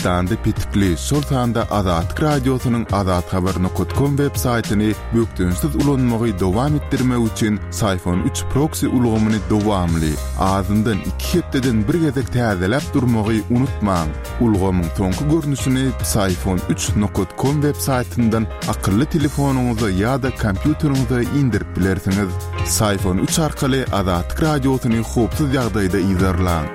Türkmenistanda petikli, şol sanda Azatlyk Radiosynyň azathabar nokat kom web saýtyny bökdençsiz ulanmagy dowam etdirmek üçin Syfon üç proksi ulgamyny dowamly, azyndan iki hepdeden bir gezek täzeläp durmagy unutmaň. Ulgamyň soňky görnüşini Psiphon üç nokat kom web saýtyndan akylly telefonyňyza ýa-da kompýuteriňize indirip bilersiňiz. Psiphon üç arkaly Azatlyk Radiosyny howpsuz ýagdaýda yzarlaň.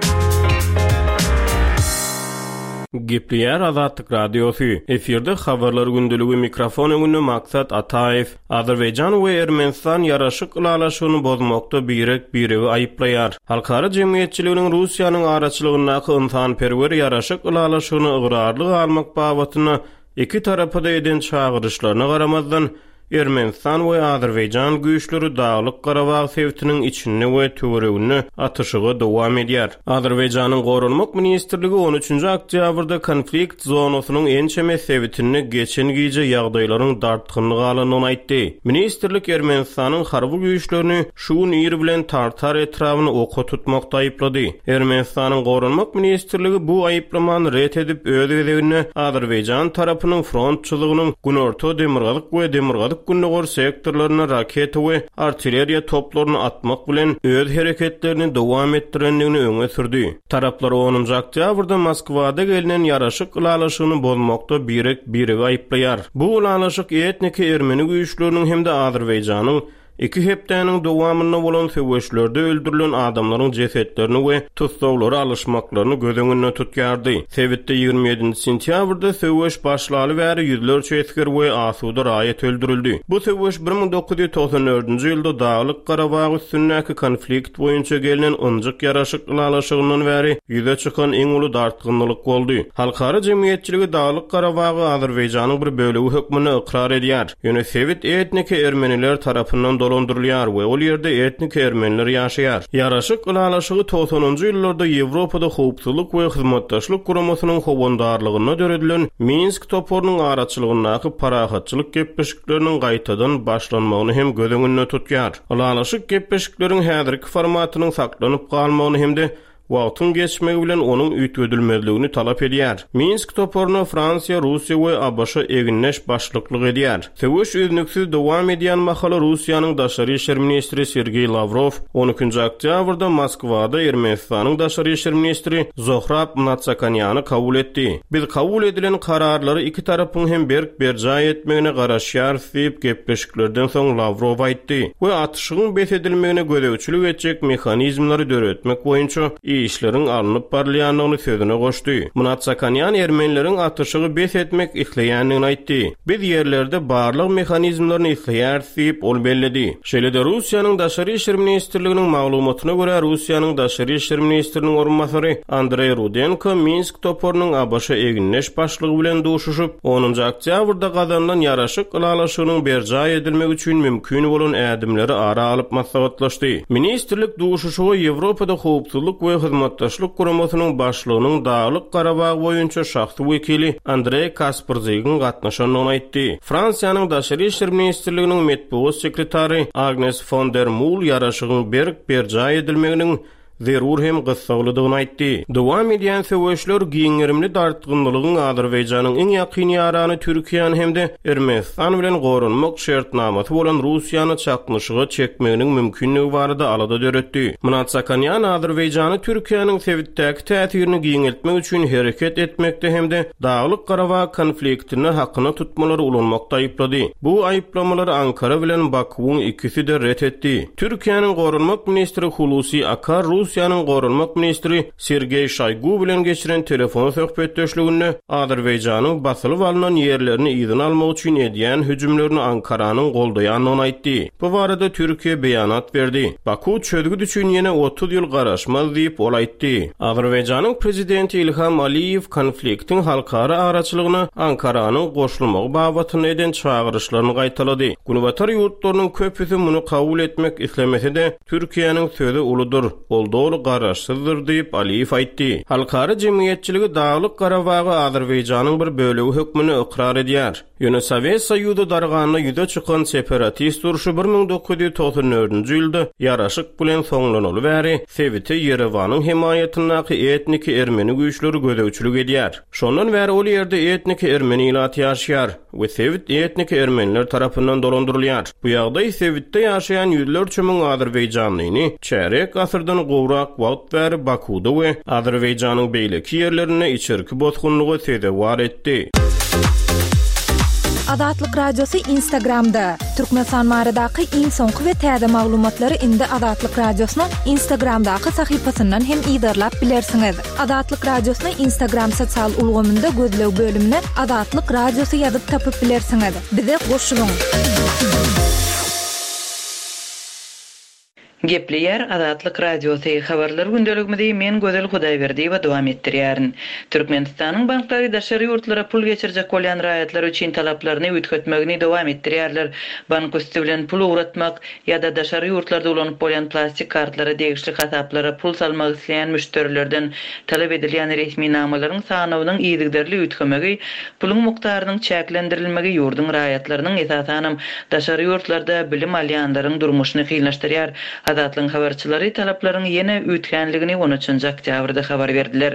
Gepleýär Azatlyk Radiosy. Efirde Habarlar gündeligi mikrofon öňünde Maksat Ataýew. Azerbaýjan we Ermenistan ýaraşyk ylalaşygyny bozmakda birek-biregi aýyplaýar. Halkara jemgyýetçiliginiň Russiýanyň araçylygyndaky ynsanperwer ýaraşyk ylalaşygyna ygrarly galmak babatynda iki tarapa-da eden çagyryşlaryna garamazdan, Ermenistan we Azerbaýjan güýçleri Daglyk-Garabag sebitiniň içinde we töwereginde atyşygy dowam edýär. Azerbaýjanyň Goranmak ministrligi on üçünji oktýabrda konflikt zonasynyň ençeme sebitinde geçen gije ýagdaýlaryň dartgynly galandygyny aýtdy. Ministrlik Ermenistanyň harby güýçlerini şu gün ir bilen Tartar etrabyny oka tutmakda aýyplady. Ermenistanyň Goranmak ministrligi bu aýyplamany ret edip, öz gezeginde Azerbaýjan tarapynyň front çyzygynyň günorta, demirgazyk we demirgazyk-gündogar sektorlarynda raketa we artilleriýa toplaryny atmak bilen öz hereketlerini dowam etdirendigini öňe sürdi. Taraplar onunjy oktýabrda Moskwada gelnen ýaraşyk ylalaşygyny bozmakda birek-biregi aýyplaýar. Bu ylalaşyk etniki ermeni güýçleriniň hem-de Azerbaýjanyň iki hepdäniň dowamynda bolan söweşlerde öldürilen adamlaryň jesetlerini we tussaglary alyşmaklaryny göz öňünde tutýardy. Sebitde 27-nji sentýabrda söweş başlaly bäri ýüzlerçe esger we asuda raýat öldürildi. Bu söweş 1994-nji ýylda Daglyk-Garabag üstündäki konflikt boýunça gelnen ynjyk ýaraşyk ylalaşygyndan bäri ýüze çykan iň uly dartgynlylyk boldy. Halkara jemgyýetçiligi Daglyk-Garabagy Azerbaýjanyň bir bölegi hökmünde ykrar edýär. Ýöne sebit etniki ermeniler tarapyndan dolandyrylýar we ol ýerde etniki ermeniler ýaşaýar. Ýaraşyk ylalaşygy togsanynjy ýyllarda Ýewropada Howpsuzlyk we Hyzmatdaşlyk Guramasynyň howandarlygynda döredilen Minsk toparynyň araçylygyndaky parahatçylyk gepleşikleriniň gaýtadan başlanmagyny hem göz öňünde tutýar. Ylalaşyk gepleşikleriň häzirki formatynyň saklanyp galmagyny hem-de wagtyň geçmegi bilen onuň üýtgedilmezligini talap edýär. Minsk toparyna Fransiýa, Russiýa we ABŞ egindeş başlyklyk edýär. Söweş üznüksiz dowam edýän mahaly Russiýanyň daşary işler ministri Sergeý Lawrow on ikinji oktýabrda Moskwada Ermenistanyň daşary işler ministri Zohrab Mnatsakanýany kabul etdi. Biz kabul edilen kararlary iki tarapyň hem berk berjaý etmegine garaşýarys diýip, gepleşiklerden soň Lawrow aýtdy we atyşygyň bes edilmegine gözegçilik etjek mehanizmleri döretmek boýunça işleriň alnyp barylýandygyny sözüne goşdy. Mnatsakanýan ermenileriň atyşygy bes etmek isleýändigini aýtdy. Biz ýerlerde barlag mehanizmlerini isleýäris diýip, ol belledi. Şeýle-de Russiýanyň Daşary işler ministrliginiň maglumatyna görä, Russiýanyň Daşary işler ministriniň orunbasary Andreý Rudenko Minsk toparynyň ABŞ egindeş başlygy bilen duşuşyp, onunjy oktýabrda gazanylan ýaraşyk ylalaşygynyň berjaý edilmegi üçin mümkin bolan ädimleri ara alyp maslahatlaşdy. Ministrlik duşuşyga Ýewropada Howpsuzlyk we Hyzmatdaşlyk Guramasynyň başlygynyň Daglyk-Garabag boýunça şahsy wekili Andreý Kasprzygyň gatnaşandygyny aýtdy. Fransiýanyň Daşary işler ministrliginiň metbugat sekretary Agnes fon der Mul ýaraşygyň berk berjaý edilmeginiň zerur hem gyssaglydygyny aýtdy. Dowam edýän söweşler giň gerimli dartgynlylygyň Azerbaýjanyň iň ýakyn ýarany Türkiýäni hem-de Ermenistan bilen goranmak şertnamasy bolan Russiýany çaknyşyga çekmeginiň mümkinligi barada alada döretdi. Mnatsakanýan Azerbaýjany Türkiýäniň sebitdäki täsirini giňeltmek üçin hereket etmekde hem-de Daglyk-Garabag konfliktinde hakyna tutmalary ulanmakda aýyplady. Bu aýyplamalary Ankara bilen Bakuwyň ikisi-de ret etdi. Türkiýäniň goranmak ministri Hulusi Akar Russiýanyň goranmak ministri Sergeý Şoýgu bilen geçiren telefon söhbetdeşliginde Azerbaýjanyň basylyp alnan ýerlerini yzyna almak üçin edýän hüjümlerini Ankaranyň goldaýandygyny aýtdy. Bu barada Türkiýe beýanat berdi. Baku çözgüt üçin ýene 30 ýyl garaşmaz diýip, ol aýtdy. Azerbaýjanyň prezidenti Ilham Aliýew konfliktiň halkara araçylygyna Ankaranyň goşulmagy babatynda eden çagyryşlaryny gaýtalady. Günbatar ýurtlarynyň köpüsi muny kabul etmek islemese-de, Türkiýäniň sözi uludyr, ol doly garaşsyzdyr diýip, Aliýew aýtdy. Halkara jemgyýetçiligi Daglyk-Garabagy Azerbaýjanyň bir bölegi hökmünde ykrar edýär. Ýöne Sowet Soýuzy darganda ýüze çykan separatist urşy 1994-nji ýylda ýaraşyk bilen soňlanaly bäri sebite Ýerewanyň hemaýatyndaky etniki ermeni güýçleri gözegçilik edýär. Şondan bäri ol ýerde etniki ermeni ilaty ýaşaýar we sebit etniki ermeniler tarapyndan dolandyrylýar. Bu ýagdaý sebitde ýaşaýan ýüzlerçe müň azerbaýjanlyny çärýek asyrdan gowrak wagt bäri Bakuda we Azerbaýjanyň beýleki ýerlerinde içerki bosgunlyga sezewar etdi. Azatlyk Radiosy Instagramda, Türkmenistan baradaky iň soňky we täze maglumatlary indi Azatlyk Radiosynyň Instagramdaky sahypasyndan hem yzarlap bilersiňiz. Azatlyk Radiosyny Instagram sosial ulgamynda gözleg bölümine Azatlyk Radiosy ýazyp tapyp bilersiňiz. Bize goşulyň! Gepleýär Azatlyk Radiosy, Habarlar gündeligimizi men Gözel Hudaýberdiýewa dowam etdirýärin. Türkmenistanyň banklary daşary ýurtlara pul geçirjek bolýan raýatlar üçin talaplaryny üýtgetmegini dowam etdirýärler. Bank üsti bilen pul ugratmak ýa-da daşary ýurtlarda ulanyp bolýan plastik kartlara degişli hasaplara pul salmak isleýän müşderilerden talap edilýän resminamalaryň sanawynyň yzygiderli üýtgemegi, puluň mukdarynyň çäklendirilmegi ýurduň raýatlarynyň, esasanam, daşary ýurtlarda bilim alýanlaryň durmuşyny kynlaşdyrýar. Azatlygyň habarçylary talaplaryň ýene üýtgänligini on üçünji oktýabrda habar berdiler.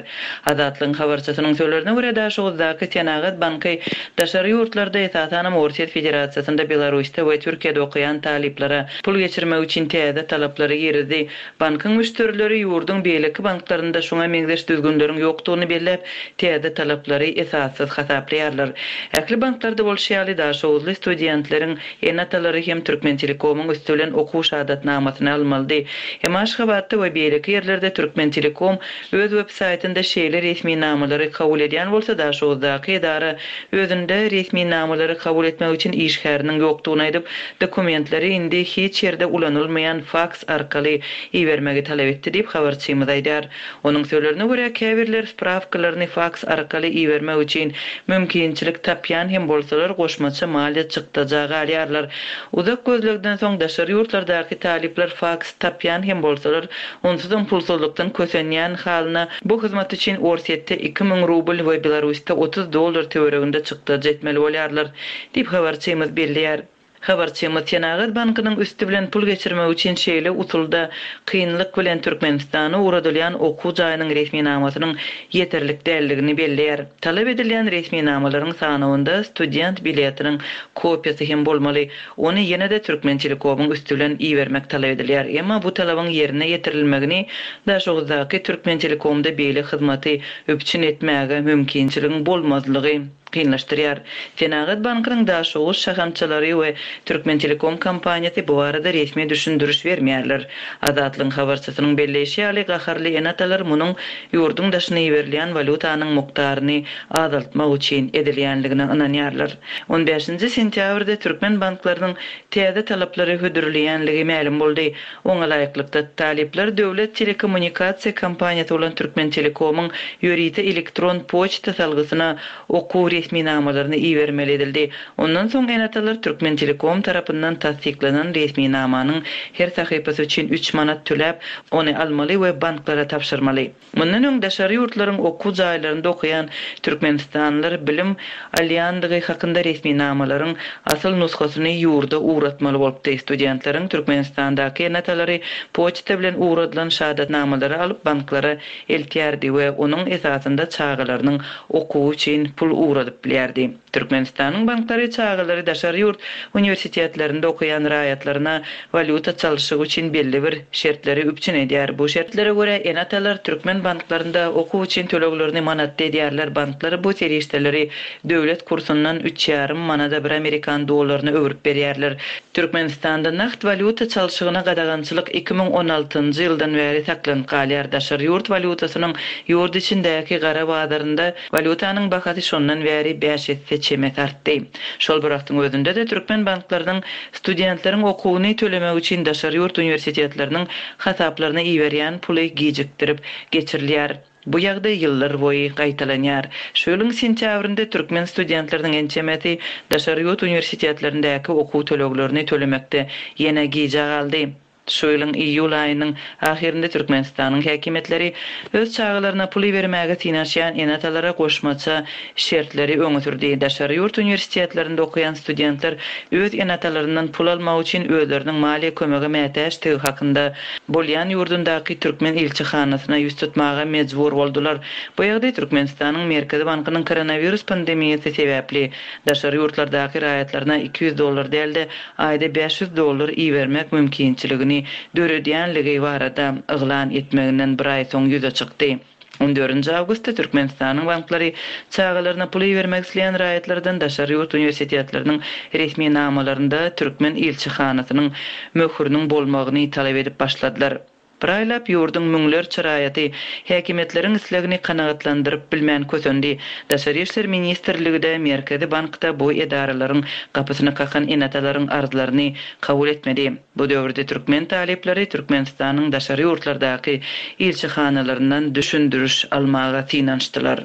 Azatlygyň habarçysynyň sözlerine görä, Daşoguzdaky Senagat banky daşary ýurtlarda, esasanam Orsýet Federasiýasynda, Belarusda we Türkiýede okaýan talyplara pul geçirmek üçin täze talaplary girizdi. Bankyň müşderileri ýurduň beýleki banklarynda şuňa meňzeş düzgünleriň ýokdugyny belläp, täze talaplary esassyz hasaplaýarlar. Ähli banklarda bolşy ýaly, daşoguzly studentleriň ene-atalary hem Türkmentelekomyň üsti bilen okuw şahadatnamasyny almalydy. Emma Aşgabatda we beýleki ýerlerde Türkmentelekom öz web saýtynda şeýle resminamalary kabul edýän bolsa, Daşoguzdaky edara özünde resminamalary kabul etmek üçin işgäriniň ýokdugyny aýdyp, dokumentleri indi hiç ýerde ulanylmaýan faks arkaly ibermegi talap etdi diýip, habarçymyz aýdýar. Onuň sözlerine görä, käbirler sprawkalaryny faks arkaly ibermek üçin mümkinçilik tapýan hem bolsalar, goşmaça maliýe çykdaja galýarlar. Uzak gözlegden soň daşary ýurtlardaky talyplar faks tapýan hem bolsalar, onsuzam pulsuzlykdan kösenýän halyna bu hyzmat üçin Orsýetde 2000 rubl we Belarusda 30 dollar töwereginde çykdajy etmeli bolýarlar, diýip, habarçymyz belleýär. Habarçymyz Senagat bankynyň üsti bilen pul geçirmek üçin şeýle usulda kynlyk bilen Türkmenistana ugradylýan okuw jaýynyň resminamasynyň ýeterlik däldigini belleýär. Talap edilýän resminamalaryň sanawynda student biletiniň kopiýasy hem bolmaly. Ony ýene-de Türkmentelekomyň üsti bilen ibermek talap edilýär. Emma bu talabyň ýerine ýetirilmegini Daşoguzdaky Türkmentelekomda beýle hyzmaty üpjün etmäge mümkinçiligiň bolmazlygy kynlaşdyrýar. Senagat bankynyň Daşoguz şahamçalary we Türkmentelekom kompaniýasy bu barada resmi düşündiriş bermeýärler. Azatlygyň habarçysynyň belleýşi ýaly, gaharly ene-atalar munuň ýurduň daşyna iberilýän walýutanyň mukdaryny azaltmak üçin edilýänligine ynanýarlar. On bäşinji sentýabrda türkmen banklarynyň täze talaplary hödürleýänligi mälim boldy. Oňa laýyklykda, talyplar döwlet telekommunikasiýa kompaniýasy bolan Türkmentelekomyň ýörite elektron poçta salgysyna okuw resminamalaryny ibermeli edildi. Ondan soň ene-atalar Türkmentelekom tarapyndan tassyklanan resminamanyň her sahypasy üçin üç manat töläp, ony almaly we banklara tabşyrmaly. Mundan öň daşary ýurtlaryň okuw jaýlarynda okaýan türkmenistanlylar bilim alýandygy hakynda resminamalaryň asyl nusgasyny ýurda ugratmaly bolupdy. Studentleriň Türkmenistandaky ene-atalary poçta bilen ugradylan şahadatnamalary alyp banklara eltýärdi we onuň esasynda çagalarynyň okuwy üçin pul ugradyp bilýärdi. Türkmenistanyň banklary çagalary daşary ýurt uniwersitetlerinde okaýan raýatlaryna walýuta çalşygy üçin belli bir şertleri üpjün edýär. Bu şertlere görä, ene-atalar türkmen banklarynda okuw üçin töleglerini manatda edýärler, banklar bu serişdeleri döwlet kursundan üç ýarym manada bir amerikan dollaryna öwrüp berýärler. Türkmenistanda nagt walýuta çalşygyna gadagançylyk 2016-njy ýyldan bäri saklanyp galýar. Daşary ýurt walýutasynyň ýurt içindäki gara bazarynda Walýutanyň bahasy şondan bäri bäş esse çemesi artdy. Şol bir wagtyň özünde-de türkmen banklarynyň studentleriň okuwyny tölemek üçin daşary ýurt uniwersitetleriniň hasaplaryna iberýän puly gijikdirip geçirilýär. Bu ýagdaý ýyllar boýy gaýtalanýar. Şu ýylyň sentýabrynda türkmen studentleriniň ençemesi daşary ýurt uniwersitetlerindäki okuw töleglerini tölemekde ýene gijä galdy. Şu ýylyň iýul aýynyň ahyrynda Türkmenistanyň häkimiýetleri öz çagalaryna pul ibermäge synanyşýan ene-atalara goşmaça şertleri öňe sürdi. Daşary ýurt uniwersitetlerinde okaýan studentler öz ene-atalaryndan pul almak üçin özleriniň maliýe kömege mätäçdigi hakynda bolýan ýurdundaky türkmen ilçihanasyna ýüz tutmaga mejbur boldular. Bu ýagdaý Türkmenistanyň Merkezi bankynyň koronawirus pandemiýasy sebäpli daşary ýurtlardaky raýatlaryna 200 dollar däl-de, aýda 500 dollar ibermek mümkinçiligini döredýänligi barada yglan etmeginden bir aý soň ýüze çykdy. On dördünji awgustda Türkmenistanyň banklary çagalaryna pul ibermek isleýän raýatlardan daşary ýurt uniwersitetleriniň resminamalarynda türkmen ilçihanasynyň möhüriniň bolmagyny talap edip başladylar. Bir aýlap ýurduň müňlerçe raýaty häkimiýetleriň islegini kanagatlandyryp bilmän kösendi. Daşary işler ministrligi-de, Merkezi bank-da bu edaralaryň gapysyny kakan ene-atalaryň arzlaryny kabul etmedi. Bu döwürde türkmen talyplary Türkmenistanyň daşary ýurtlardaky ilçihanalaryndan düşündiriş almaga synanyşdylar.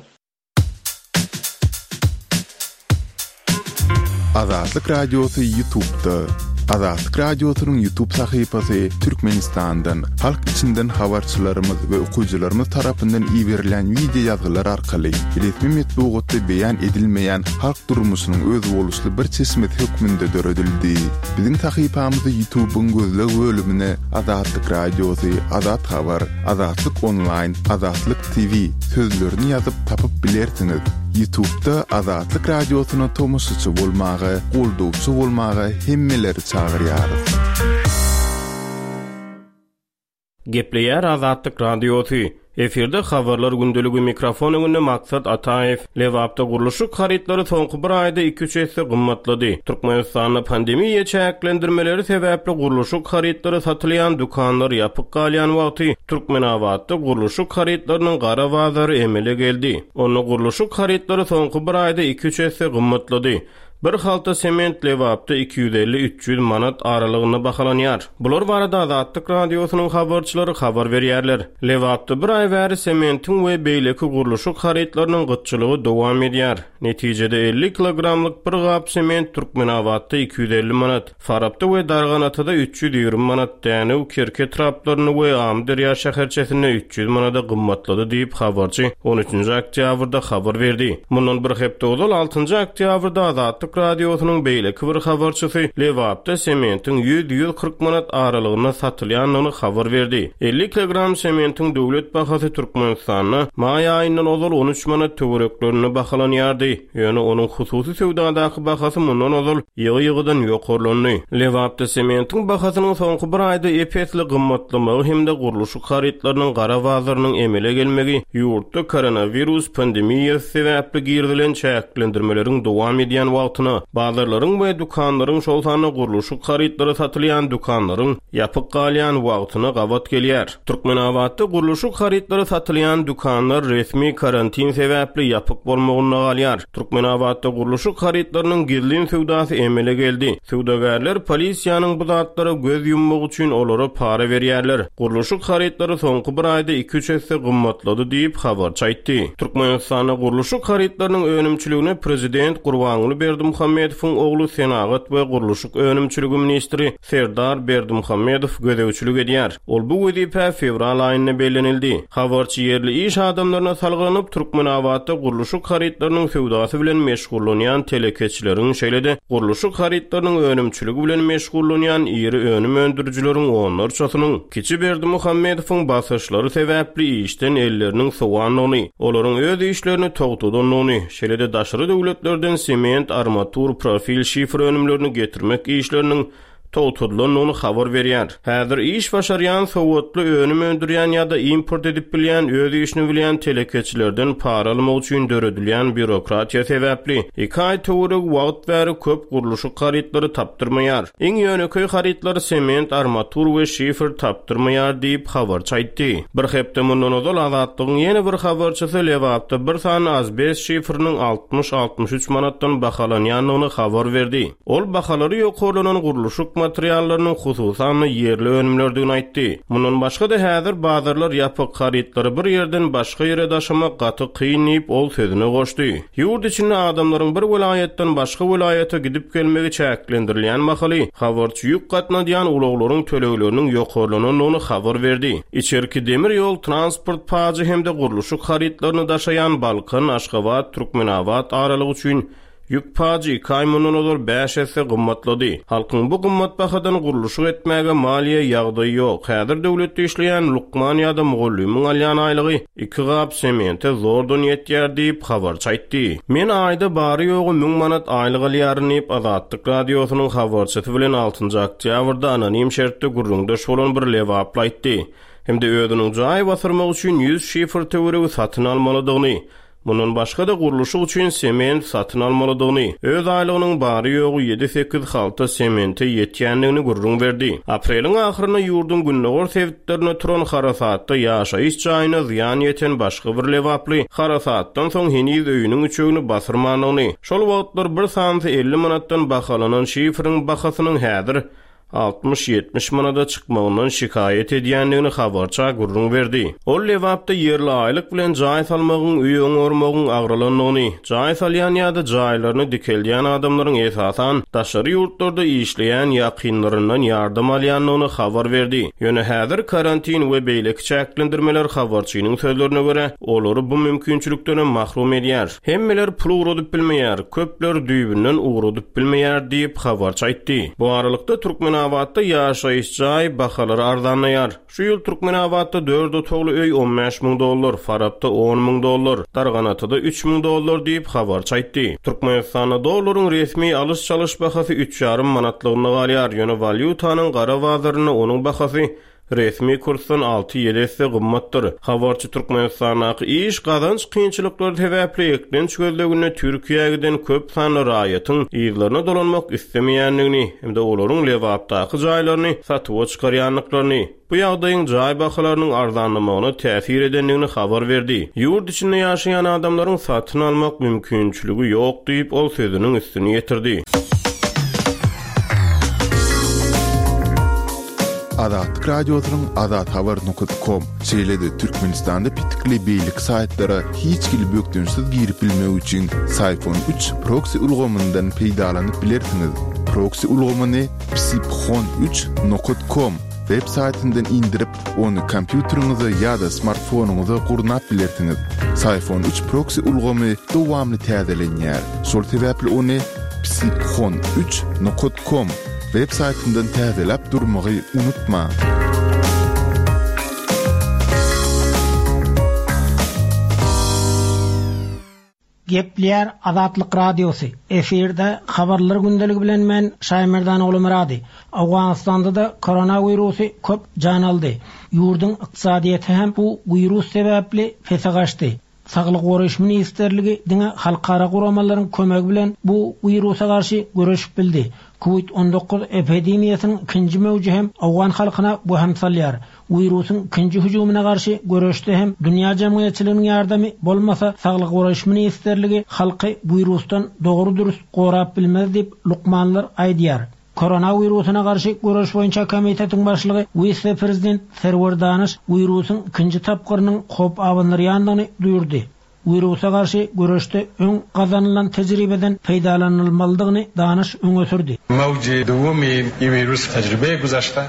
Azatlyk Radiosy Ýutubda. Azatlyk Radiosynyň Ýutub sahypasy Türkmenistandan, halk içinden habarçylarymyz we okyjylarymyz tarapyndan iberilýän wideo ýazgylar arkaly resmi metbugatda beýan edilmeýän halk durmuşynyň özboluşly bir çeşmesi hökmünde döredildi. Biziň sahypamyzy Ýutubyň gözleg bölümine Azatlyk Radiosy, Azat Habar, Azatlyk Onlaýn, Azatlyk TV sözlerini ýazyp tapyp bilersiňiz. Ýutubda Azatlyk Radiosyna tomaşaçy bolmaga, goldawçy bolmaga hemmeleri çagyrýarys. Gepleýär Azatlyk Radiosy. Efirde Habarlar gündeligi mikrofon öňünde Maksat Ataýew. Lebapda gurluşyk harytlary soňky bir aýda iki-üç esse gymmatlady. Türkmenistanda pandemiýa çäklendirmeleri sebäpli gurluşyk harytlary satylýan dükanlar ýapyk galýan wagty, Türkmenabatda gurluşyk harytlarynyň gara bazary emele geldi. Onda gurluşyk harytlary soňky bir aýda iki-üç esse gymmatlady. Bir halta sement Lebapda 250-300 manat aralygynda bahalanýar. Bular barada Azatlyk Radiosynyň habarçylary habar berýärler. Lebapda bir aý bäri sementiň we beýleki gurluşyk harytlarynyň gytçylygy dowam edýär. Netijede 50 kilogramlyk bir gap sement Türkmenabatda 250 manat, Farapda we Darganatada 320 manat, Dänew, Kerki etraplarynda we Amyderýa şäherçesinde 300 manada gymmatlady diýip, habarçy on üçünji oktýabrda habar berdi. Mundan bir hepde ozal, altynjy oktýabrda Azatlyk Radiosynyň beýleki bir habarçysy Lebapda sementiň ýüz, 140 manat aralygynda satylýandygyny habar berdi. 50 kilogram sementiň döwlet bahasy Türkmenistanda maý aýyndan ozal on üç manat töwereklerinde bahalanýardy. Ýöne onuň hususy söwdadaky bahasy mundan ozal ýygy-ýygydan ýokarlandy. Lebapda sementiň bahasynyň soňky bir aýda ep-esli gymmatlamagy hem-de gurluşyk harytlarynyň gara bazarynyň emele gelmegi ýurtda koronawirus pandemiýasy sebäpli girizilen çäklendirmeleriň dowam edýän wagtyna, bazarlaryň we dükanlaryň, şol sanda gurluşyk harytlary satylýan dükanlaryň ýapyk galýan wagtyna gabat gelýär. Türkmenabatda gurluşyk harytlary satylýan dükanlar resmi karantin sebäpli ýapyk bolmagynda galýar. Türkmenabatda gurluşyk harytlarynyň gizlin söwdasy emele geldi. Söwdagärler polisiýanyň bu zatlara göz ýummagy üçin olara para berýärler. Gurluşyk harytlary soňky bir aýda iki-üç esse gymmatlady diýip, habarçy aýtdy. Türkmenistanda gurluşyk harytlarynyň önümçiligine prezident Gurbanguly Berdimuhamedowyň ogly senagat we gurluşyk önümçiligi ministri Serdar Berdimuhamedow gözegçilik edýär. Ol bu wezipä fewral aýynda bellenildi. Habarçy ýerli iş adamlaryna salgylanyp, Türkmenabatda gurluşyk harytlarynyň söwdasy bilen meşgullanýan telekeçileriň, şeýle-de gurluşyk harytlarynyň önümçiligi bilen meşgullanýan iri önüm öndürijileriň onlarçasynyň kiçi Berdimuhamedowyň basyşlary sebäpli işden elleriniň sowandygyny, olaryň öz işlerini togtadandygyny, şeýle-de daşary döwletlerden sement, armatur, profil, şifer önümlerini getirmek işleriniň togtadylandygyny habar berýär. Häzir iş başarýan, sowatly, önüm öndürýän ýa-da import edip bilýän, öz işini bilýän telekeçilerden para almak üçin döredilýän býurokratiýa sebäpli, iki aý töweregi wagt bäri köp gurluşyk harytlary tapdyrmaýar. Iň ýönekeý harytlar sement, armatur we şifer tapdyrmaýar diýip, habarçy aýtdy. Bir hepde mundan ozal Azatlygyň ýene bir habarçysy Lebapda bir sany azbest şiferiniň 60-63 manatdan bahalanýandygyny habar berdi. Ol bahalary ýokarlanan gurluşyk. materiallarynyň hususan-da ýerli önümlerdigini aýtdy. Mundan başga-da häzir bazarlar ýapyk, harytlary bir ýerden başga ýere daşamak gaty kyn diýip, ol sözüne goşdy. Ýurt içinde adamlaryň bir welaýatdan başga welaýata gidip-gelmegi çäklendirilýän mahaly, habarçy ýük gatnadýan ulaglaryň tölegleriniň ýokarlanandygyny habar berdi. Içerki demir ýol transport pajy hem-de gurluşyk harytlaryny daşaýan Balkan, Aşgabat, Türkmenabat aralygy üçin ýük pajy iki aý mundan ozal bäş esse gymmatlady. Halkyň bu gymmat bahadan gurluşyk etmäge maliýe ýagdaýy ýok. Häzir döwletde işleýän lukman ýa-da mugallymyň alýan aýlygy iki gap semente zordan ýetýär diýip, habarçy aýtdy. Men aýda bary-ýogy müň manat aýlyk alýaryn diýip, Azatlyk Radiosynyň habarçysy bilen altynjy oktýabrda anonim şertde gürrüňdeş bolan bir lebaply aýtdy hem-de özüniň jaý basyrmak üçin ýüz şifr töweregi satyn almalydygyny, Mundan başga-da, gurluşyk üçin sement satyn almalydygyny, öz aýlygynyň bary-ýogy ýedi-sekiz halta semente ýetýändigini gürrüň berdi. Apreliň ahyrynda ýurduň gündogar sebitlerinde turan harasatda ýaşaýyş jaýyna zyýan ýeten başga bir lebaply harasatdan soň heniz öýüniň üçegini basyrmandygyny, şol wagtlar bir sanysy 50 manatdan bahalanan şiferiň bahasynyň häzir 60-70 manada çykmagyndan şikaýat edýändigini habarça gürrüň berdi. Ol Lebapda ýerli aýlyk bilen jaý salmagyň, öý oňarmagyň agralandygyny, jaý salýan ýa-da jaýlaryny dikeldýän adamlaryň esasan daşary ýurtlarda işleýän ýakynlaryndan ýardam alýandygyny habar berdi. Ýöne häzir karantin we beýleki çäklendirmeler habarçynyň sözlerine görä, olary bu mümkinçilikdenem mahrum edýär. Hemmeler pul ugradyp bilmeýär, köpler düýbünden ugradyp bilmeýär diýip, habarçy aýtdy. Bu aralykda, Türkmenabatda ýaşaýyş jaý bahalary arzanlaýar. Şu ýyl Türkmenabatda dört otagly öý 15 müň dollar, Farapda on müň dollar, Darganatada üç müň dollar diýip, habarçy aýtdy. Türkmenistanda dollaryň resmi alyş-çalyş bahasy üç ýarym manatlygynda galýar, ýöne walýutanyň gara bazarynda onuň bahasy Resmi kursdan alty-ýedi esse gymmatdyr. Habarçy Türkmenistandaky iş, gazanç kynçylyklary sebäpli eklenç gözleginde Türkiýä giden köp sanly raýatyň yzlaryna dolanmak islemeýändigini hem-de olaryň Lebapdaky jaýlaryny satuwa çykarýandyklaryny, bu ýagdaýyň jaý bahalarynyň arzanlamagyna täsir edendigini habar berdi. Ýurt içinde ýaşaýan adamlaryň satyn almak mümkinçiligi ýok diýip, ol sözüniň üstüni ýetirdi. Azatlyk Radiosynyň azathabar nokat kom, şeýle-de Türkmenistanda petikli beýleki saýtlara hiç hili bökdençsiz girip bilmek üçin Syphon üç proksi ulgamyndan peýdalanyp bilersiňiz. Proksi ulgamyny psiphon üç nokat kom web saýtyndan indirip, ony kompýuteriňize ýa-da smartfonyňyza gurnap bilersiňiz. Syphon üç proksi ulgamy dowamly täzelenýär. Şol sebäpli ony psiphon üç nokat kom web saýtyndan täzeläp durmagy unutmaň. Gepleýär Azatlyk Radiosy, Efirde Habarlar gündeligi bilen men Şaýmerdan Ogulmyrady. Owganystanda-da koronawirusy köp jan aldy. Ýurduň ykdysadyýeti hem bu wirus sebäpli pese gaçdy. Saglygy goraýyş ministrligi diňe halkara guramalaryň kömegi bilen bu wirusa garşy göreşip bildi. Kowid 19 epidemiýasynyň ikinji möwji hem owgan halkyna wehim salýar. Wirusyň ikinji hüjümine garşy göreşde hem dünýä jemgyýetçiliginiň ýardamy bolmasa Saglygy goraýyş ministrligi halky wirusdan dogry-dürs gorap bilmez diýip, lukmanlar aýdýar. Koronawirusyna garşy göreş boýunça komitetiň başlygy wise-prezident Serwer Danyş wirusyň ikinji tapgyrynyň howp abandyrýandygyny duýurdy. Wirusa garşy göreşde öň gazanylan tejribeden peýdalanylmalydygyny Danyş öňe sürdi. Mawji duwumi wirus tejribe güzeşte.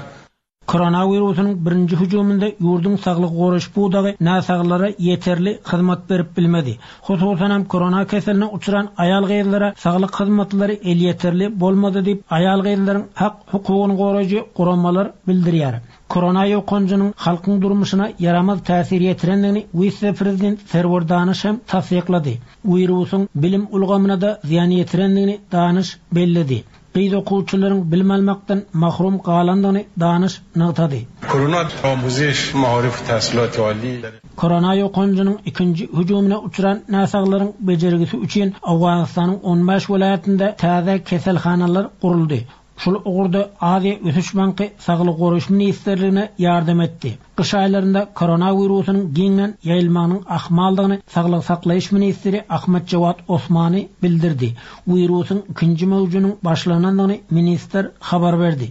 Koronawirusynyň birinji hüjüminde ýurduň saglygy goraýyş pudagy näsaglara ýeterli hyzmat berip bilmedi. Hususanam korona keseline uçran aýal-gyzlara saglyk hyzmatlary elýeterli bolmady diýip, aýal-gyzlaryň hak-hukugyny goraýjy guramalar bildirýär. Korona ýokanjynyň halkyň durmuşyna ýaramaz täsir ýetirendigini wise-prezident Serwer Danyş hem tassyklady. Wirusyň bilim ulgamyna-da zyýan ýetirendigini Danyş belledi. Gyz okuwçylaryň bilim almakdan mahrum galandygyny Danyş nygtady. Korona amuzeş maarif tahsilat ali. Korona ýokanjynyň ikinji hüjümine uçran näsaglaryň bejergisi üçin Owganystanyň on bäş welaýatynda täze keselhanalar guruldy. Şol ugurda Aziýa ösüş banky Saglygy goraýyş ministrligine ýardam etdi. Gyş aýlarynda koronawirusynyň giňden ýaýylmagynyň ahmaldygyny saglygy saklaýyş ministri Ahmad Jawad Osmani bildirdi. Wirusyň ikinji möwjüniň başlanandygyny ministr habar berdi.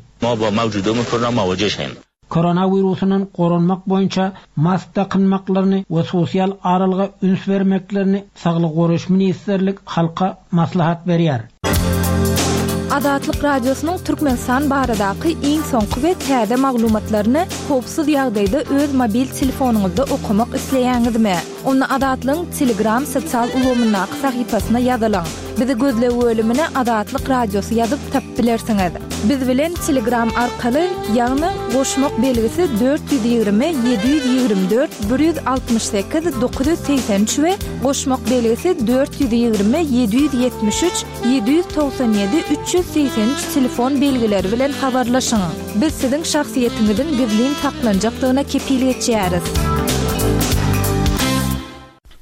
Koronawirusyndan goranmak boýunça mask dakynmaklaryny we sosial aralyga üns bermeklerini Saglygy goraýyş ministrlik halka maslahat berýär. Azatlyk Radiosynyň Türkmenistan baradaky iň soňky we täze maglumatlaryny howpsuz ýagdaýda öz mobil telefonyňyzda okamak isleýäňizmi? Onda Azatlygyň Telegram sosial ulgamyndaky sahypasyna ýazylyň. Bizi gözleg bölümine Azatlyk Radiosy ýazyp tapyp bilersiňiz. Biz bilen Telegram arkaly, ýagny goşmak belgisi 420 724 168 983 we goşmak belgisi 420 773 797 383 telefon belgileri bilen habarlaşyň. Biz siziň şahsyýetiňiziň gizlin saklanjakdygyna kepil geçýäris.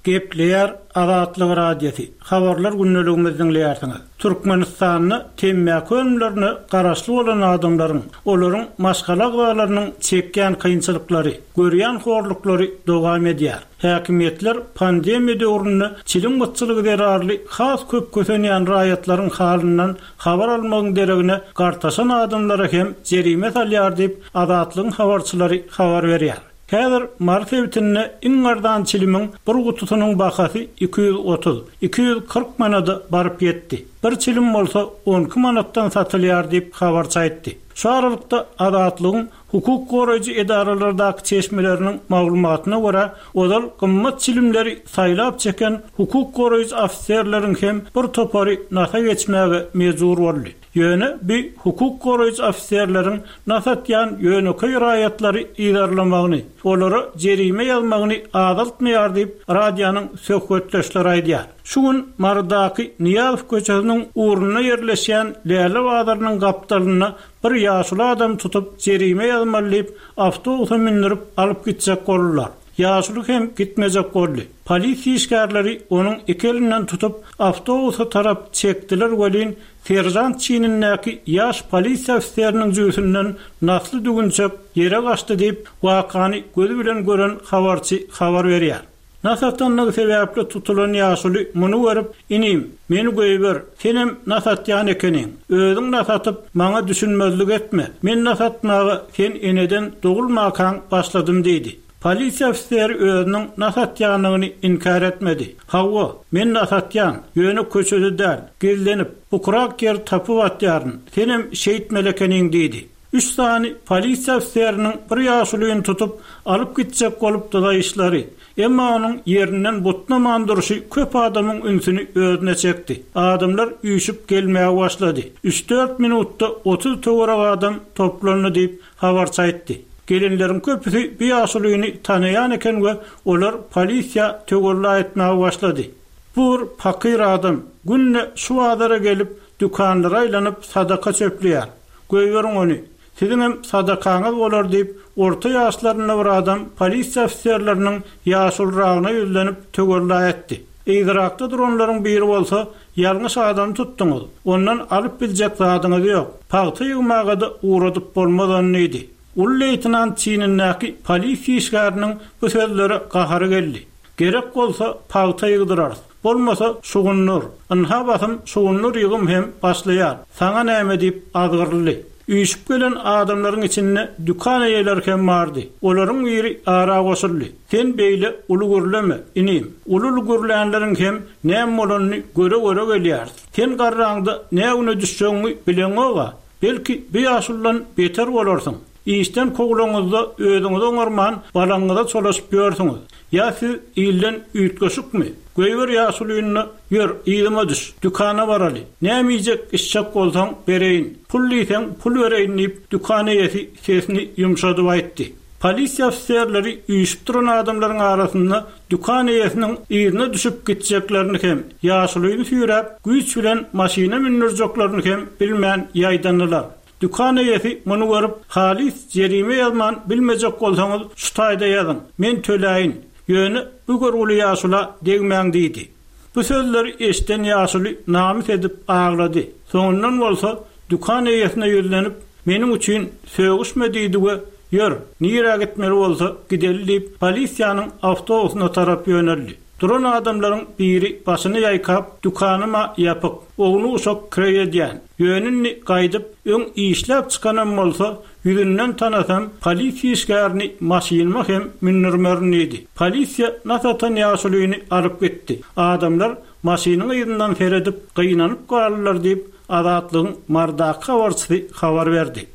Gepleýär Azatlyk Radiosy, Habarlar gündeligimizi diňleýärsiňiz. Türkmenistanda temmäki önümlerine garaşly bolan adamlaryň, olaryň maşgala agzalarynyň çekýän kynçylyklary, görýän horluklary dowam edýär. Häkimiýetler pandemiýa döwründe çilim gytçylygy zerarly has köp kösenýän raýatlaryň halyndan habar almagyň deregine gartaşan adamlara hem jerime salýar diýip, Azatlygyň habarçylary habar berýär. Häzir Mary sebitinde iň arzan çilimiň bir gutusynyň bahasy 230, 240 manada baryp ýetdi. Bir çilim bolsa 12 manatdan satylýar diýip, habarçy aýtdy. Şu aralykda, Azatlygyň Hukuk goraýjy edaralardaky çeşmeleriniň maglumatyna görä, ozal gymmat çilimleri saýlap çeken hukuk goraýjy ofiserleriň hem bir topary nasa geçmäge mejbur boldy. Ýöne bi hukuk goraýjy ofiserleriň nas atýan ýönekeý raýatlary yzarlamagyny, olara jerime ýazmagyny azaltmaýar diýip, radionyň söhbetdeşleri aýdýar. Şu gün Marydaky Nyýazow köçesiniň ugrunda ýerleşýän Läle bazarynyň gapdalynda Bir ýaşuly adamy tutup, jerime ýazmaly diýip, awtobusa mündürip alyp gitjek boldular. Ýaşuly hem gitmejek boldy. Polisiýa işgärleri onuň iki elinden tutup, awtobusa tarap çekdiler welin, seržant çinindäki ýaş polisiýa ofiseriniň jübüsinden nasly düwünçek ýere gaçdy diýip, wakany gözi bilen gören habarçy habar berýär. Nas atanlygy sebäpli tutulan ýaşuly muny görüp, Inim, meni goýber, senem nas atýan ekeniň. Özüň nas atyp, maňa düşünmezlik etme. Men nas atmaga sen eneden dogulmakaň başladym diýdi. Polisiýa ofiseri özüniň nas atýanyny inkär etmedi. Hawa, men nas atýan, ýöne köçede däl, gizlenip, bukurak ýer tapyp atýaryn. Senem şeýtmeli ekeniň diýdi. Üç sany polisiýa ofiseriniň bir ýaşulyny tutup, alyp gitjek bolup dyzaýyşlary, emma onuň ýerinden butnaman durşy köp adamyň ünsüni özüne çekdi. Adamlar üýşüp gelmäge başlady. Üç-dört minutda 30 töweregi adam toplandy diýip, habarçy aýtdy. Gelenleriň köpüsi bu ýaşulyny tanaýan eken we olar polisiýa töwella etmäge başlady. Bu bir pakyr adam, günde şu bazara gelip, dükanlara aýlanyp sadaka çöpleýär. Goýberiň ony, siziňem sadakaňyz bolar diýip, orta ýaşlarynda bir adam polisiýa ofiserleriniň ýaşuluragyna ýüzlenip töwella etdi. Yzyrakda duranlaryň biri bolsa, Ýalňyş adamy tutduňyz, ondan alyp biljek zadyňyz ýok, pagta ýygmaga-da ugradyp bolmaz ony diýdi. Uly leýtenant çinindäki polisiýa işgäriniň bu sözlere gahary geldi. Gerek bolsa, pagta ýygdyrarys. Bolmasa, şugundyr. Ynha basym şugundyr ýygym hem başlaýar. Saňa näme diýip azgyryldy. Üýşüp gelen adamlaryň içinde dükan eýeleri hem bardy. Olaryň biri ara goşuldy. Sen beýle uly gürleme, inim. Uly-uly gürlänleriň hem näme bolanyny göre-göre gelýäris. Sen garraňda nä güne düşjegiňi bileňog-a. Belki, bu ýaşuludan beter bolarsyň. Işden kowlaňyzda özüňizi oňarman, balaňyza çolaşyp ýörsüňiz. Ýa siz ilden üýtgeşikmi? Goýber ýaşulyny-da, ýör, yzyma düş, dükana baraly. Näme iýjek-içjek bolsaň, bereýin. Pul diýseň, pul bereýin diýip, dükan eýesi sesini ýumşadyp aýtdy. Polisiýa ofiserleri üýşüp duran adamlaryň arasynda dükan eýesiniň yzyna düşüp gitjeklerini hem, ýaşulyny süýräp, güýç bilen maşyna mündürjeklerini hem bilmän ýaýdandylar. Dükan eýesi muny görüp, Halys jerime ýazman bilmejek bolsaňyz şu taýda ýazyň, men töläýin, ýöne bu görgüli ýaşula degmäň diýdi. Bu sözleri eşiden ýaşuly namys edip aglady. Soňundan bolsa. Dükan eýesine ýüzlenip, Meniň üçin sögüşme diýdi we Ýör, nirä gitmeli bolsa gideli diýip, polisiýanyň awtobusyna tarap ýöneldi. Duran adamlaryň biri başyny ýaýkap, Dükanym-a ýapyk, ownuk-uşak kireý edýän. Ýöne indi gaýdyp, öň işläp çykanam bolsa, ýüzünden tanasam, polisiýa işgärini maşynyma hem mündürmerin diýdi. Polisiýa nas atan ýaşulyny alyp gitdi. Adamlar maşynyň yzyndan seredip, gynanyp galdylar diýip, Azatlygyň Marydaky habarçysy habar berdi.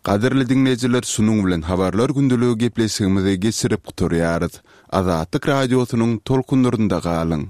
Gadyrly diňleýjiler şunuň bilen Habarlar gündeligi gepleşigimizi geçirip gutarýarys. Azatlyk Radiosynyň tolkunlarynda galyň!